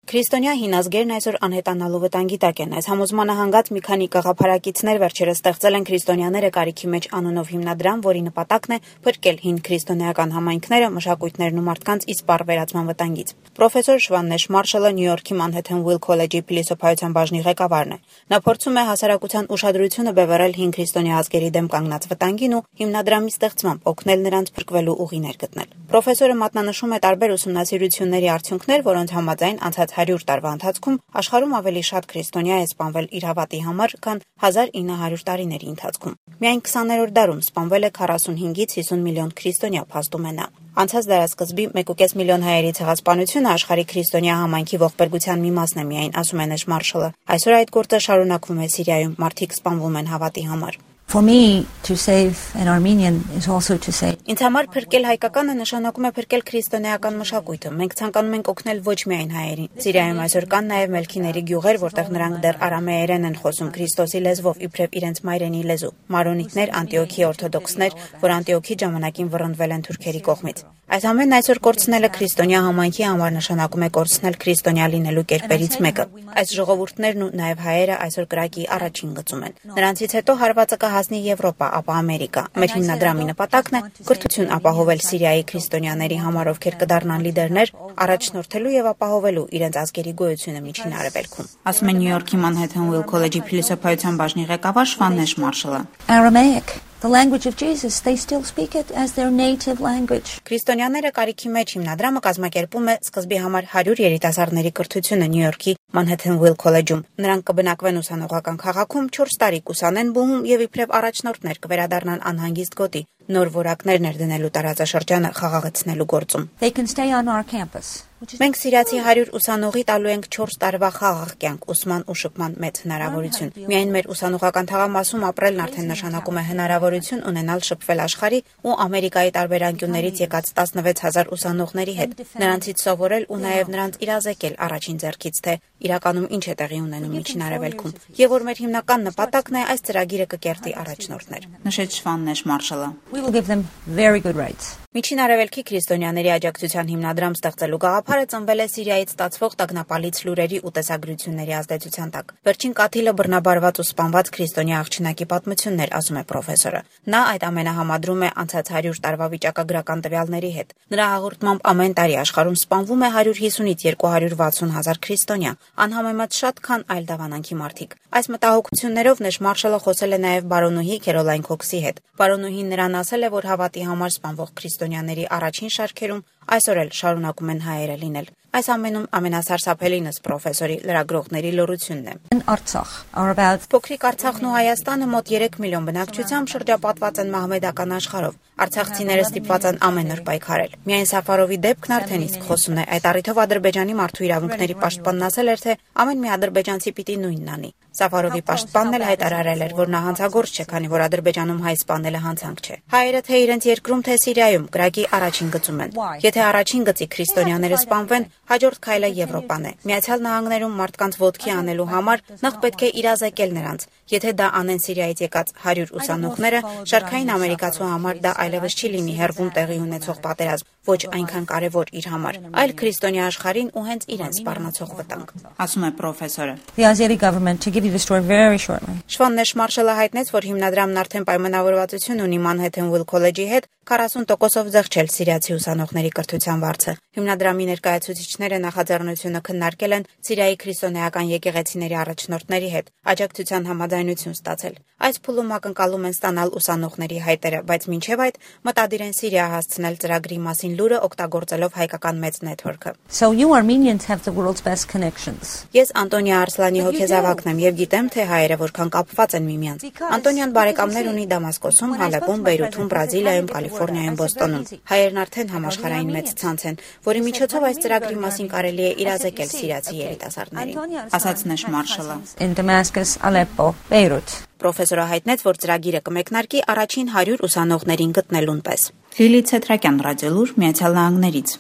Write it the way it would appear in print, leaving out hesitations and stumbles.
Քրիստոնյա հինազգերն այսօր անհետանալու վտանգի տակ են։ Այս համոզմանը հանգած մի քանի գաղափարակիցներ վերջերս ստեղծել են քրիստոնյաները կարիքի մեջ անունով հիմնադրամ, որի նպատակն է փրկել հին քրիստոնեական համայնքները, մշակույթներն ու մարդկանց իսպառ վերածման վտանգից։ Պրոֆեսոր Շվաննեշ Մարշալը Նյու Յորքի Մանհեթեն Ուիլ քոլեջի փիլիսոփայության բաժնի ղեկավարն է։ Նա փորձում է հասարակության ուշադրությունը բևեռել հին քրիստոնյա ազգերի դեմ կանգնած վտանգին ու հիմնադրամի ստեղծմամբ օգնել նրանց փրկվելու ուղիներ գտնել։ Պրոֆեսորը մատնանշում է տարբեր ուսումնասիրությունների արդյունքներ, որոնց համաձայն անցած 100 տարվա ընթացքում աշխարհում ավելի շատ քրիստոնյա է սպանվել իր հավատի համար, քան 1900 տարիների ընթացքում։ Միայն 20-րդ դարում սպանվել է 45-ից 50 միլիոն քրիստոնյա, փաստում է նա։ Անցած դարաշրջանի 1.5 միլիոն հայերի ցեղասպանությունը աշխարհի քրիստոնյա համայնքի ողբերգության մի մասն է միայն, ասում է Նեշ Մարշալը։ Այսօր այդ գործը շարունակվում է Սիրիայում, մարդիկ սպանվում են հավատի համար։ For me, to save an Armenian is also to save. Ինձ համար փրկել հայկականը նշանակում է փրկել քրիստոնեական մշակույթը։ Մենք ցանկանում ենք օգնել ոչ միայն հայերին։ Սիրիայում այսօր կան նաև մելքիների գյուղեր, որտեղ նրանք դեռ արամեերեն են խոսում Քրիստոսի լեզվով, իբրև իրենց մայրենի լեզու։ Մարոնիտներ, Անտիոքի օրթոդոքսներ, որ Անտիոքի ժամանակին վռնդվել են թուրքերի կողմից։ Այս ամենն այսօր կորցնելը քրիստոնյա համայնքի համար նշանակում է կորցնել քրիստոնյա լինելու կերպերից մեկը։ Այս ժողովուրդներն ու նաև հայերը այսօր կրակի առաջին գծում են։ Նրանցից հետո հարվածը կհասնի Եվրոպա, ապա Ամերիկա։ Մեր հիմնադրամի նպատակն է կրթություն ապահովել Սիրիայի քրիստոնյաների համար, ովքեր կդառնան լիդերներ, առաջնորդելու եւ ապահովելու իրենց ազգերի գոյությունը Միջին Արևելքում։ Ասում է Նյու Յորքի Մանհեթեն Ուիլ քոլեջի փիլիսոփայության բաժնի ղեկավար Շվաննեշ Մարշալը։ Aramaic, the language of Jesus, they still speak it as their native language. Քրիստոնյաները կարիքի մեջ հիմնադրամը կազմակերպում է սկզբի համար 100 երիտասարդների կրթությունը Նյու Յորքի Մանհեթեն Ուիլ քոլեջում։ Նրանք կբնակվեն ուսանողական քաղաքում, 4 տարի կուսանեն բուհում եւ իբրև առաջնորդներ կվերադառնան անհանգիստ գոտի, նոր որակներ ներդնելու տարածաշրջանը խաղաղեցնելու գործում։ They can stay on our campus. Մենք սիրիացի 100 ուսանողի տալու ենք 4 տարվա խաղաղ կյանք, ուսման ու շփման մեծ հնարավորություն։ Միայն մեր ուսանողական թաղամասում ապրելն արդեն նշանակում է հնարավորություն ունենալ շփվել աշխարհի ու Ամերիկայի տարբեր անկյուններից եկած 16000 ուսանողների հետ, նրանցից սովորել ու նաև նրանց իրազեկել առաջին ձեռքից, թե իրականում ինչ է տեղի ունենում Միջին Արևելքում, եւ որ մեր հիմնական նպատակն է այս ծրագիրը կկերտի առաջնորդներ։ Նշեց Շվաննեշ Մարշալը։ We will give them very good rights. Միջին Արևելքի քրիստոնյաների աջակցության հիմնադրամ ստեղծելու գաղափարը ծնվել է Սիրիայից ստացվող տագնապալից լուրերի ու տեսագրությունների ազդեցության տակ։ Վերջին կաթիլը բռնաբարված ու սպանված քրիստոնյա աղջնակի պատմություններ, ասում է պրոֆեսորը։ Նա այդ ամենը համադրում է անցած 100 տարվա վիճակագրական տվյալների հետ։ Նրա հաղորդմամբ ամեն տարի աշխարհում սպանվում է 150-ից 260 հազար քրիստոնյա, անհամեմատ շատ, քան այլ դավանանքի մարդիկ։ Այս մտահոգություններով Նեշ Մարշալը խոսել է նաև բարոնուհի Քերոլայն Քոքսի հետ։ Բարոնուհին նրան ասել է, որ հավատի համար սպանվող քրիստոնյաների առաջին շարքերում այսօր էլ շարունակում են հայերը լինել։ Այս ամենում ամենասարսափելինս պրոֆեսորի լրագրողների լռությունն է։ Artsakh are about Փոքրիկ Արցախն ու Հայաստանը մոտ 3 միլիոն բնակչությամբ շրջապատված են մահմեդական աշխարհով։ Արցախցիները ստիպված են ամեն օր պայքարել։ Միայն Սաֆարովի դեպքն արդեն իսկ խոսուն է։ Այդ առիթով Ադրբեջանի մարդու իրավունքների պաշտպանն ասել էր, թե ամեն մի ադրբեջանցի պիտի նույնն անի։ Սաֆարովի պաշտպանն էլ հայտարարել էր, որ նա հանցագործ չէ, քանի որ Ադրբեջանում հայ սպանելը հանցանք չէ։ Հայերը թե իրենց երկրում, թե Սիրիայում կրակի առաջին գծում են։ Եթե առաջին գծի քրիստոնյաները սպանվեն, հաջորդ քայլը Եվրոպան է։ Միացյալ Նահանգներում մարդկանց ոտքի անելու համար նախ պետք է իրազեկել նրանց։ Եթե դա անեն Սիրիայից եկած 100 ուսանողները, շարքային ամերիկացու համար դա այլևս չի լինի հերվում տեղի ունեցող պատերազմ, ոչ այնքան կարևոր իր համար, այլ քրիստոնյա աշխարհին ու հենց իրեն սպառնացող վտանգ, ասում է պրոֆեսորը։ the Azeri government, to give you the story very shortly. Շվաննեշ Մարշալը հայտնեց, որ հիմնադրամն արդեն պայմանավորվածություն ունի Մանհեթեն Ուիլ քոլեջի հետ 40%-ով զեղչել սիրիացի ուսանողների կրթության վարձը։ Հիմնադրամի ներկայացուցիչները նախաձեռնությունը քննարկել են Սիրիայի քրիստոնեական եկեղեցիների առաջնորդների հետ, աջակցության համաձայնություն ստացել։ Այս փուլում ակնկալում են ստանալ ուսանողների հայտերը, բայց մինչև այդ մտադիր են Սիրիա հասցնել ծրագրի մասին լուրը օգտագործելով հայկական մեծ նետվորքը։ So you Armenians have the world's best connections. Ես Անտոնիա Արսլանի հոգեզավակն եմ եւ գիտեմ, թե հայերը որքան կապված են միմյանց։ Անտոնիան բարեկամներ ունի Դամասկոսում, Հալեպում, Բեյրութում, Բրազիլիայում, Կալիֆոռնիայում, Բոստոնում։ Հայերն արդեն համաշխարհային մեծ ցանց են, որի միջոցով այս ծրագրի մասին կարելի է իրազեկել սիրիացի երիտասարդներին, ասաց Նեշ Մարշալը։ In Damascus, Aleppo, Beirut. Պրոֆեսորը հայտնեց, որ ծրագիրը կմեկնարկի առաջին 100 ուսանողներին գտնելուն պես։ Լիլիթ Ցետրակյան, Ռադիոլուր, Միացյալ Նահանգներից։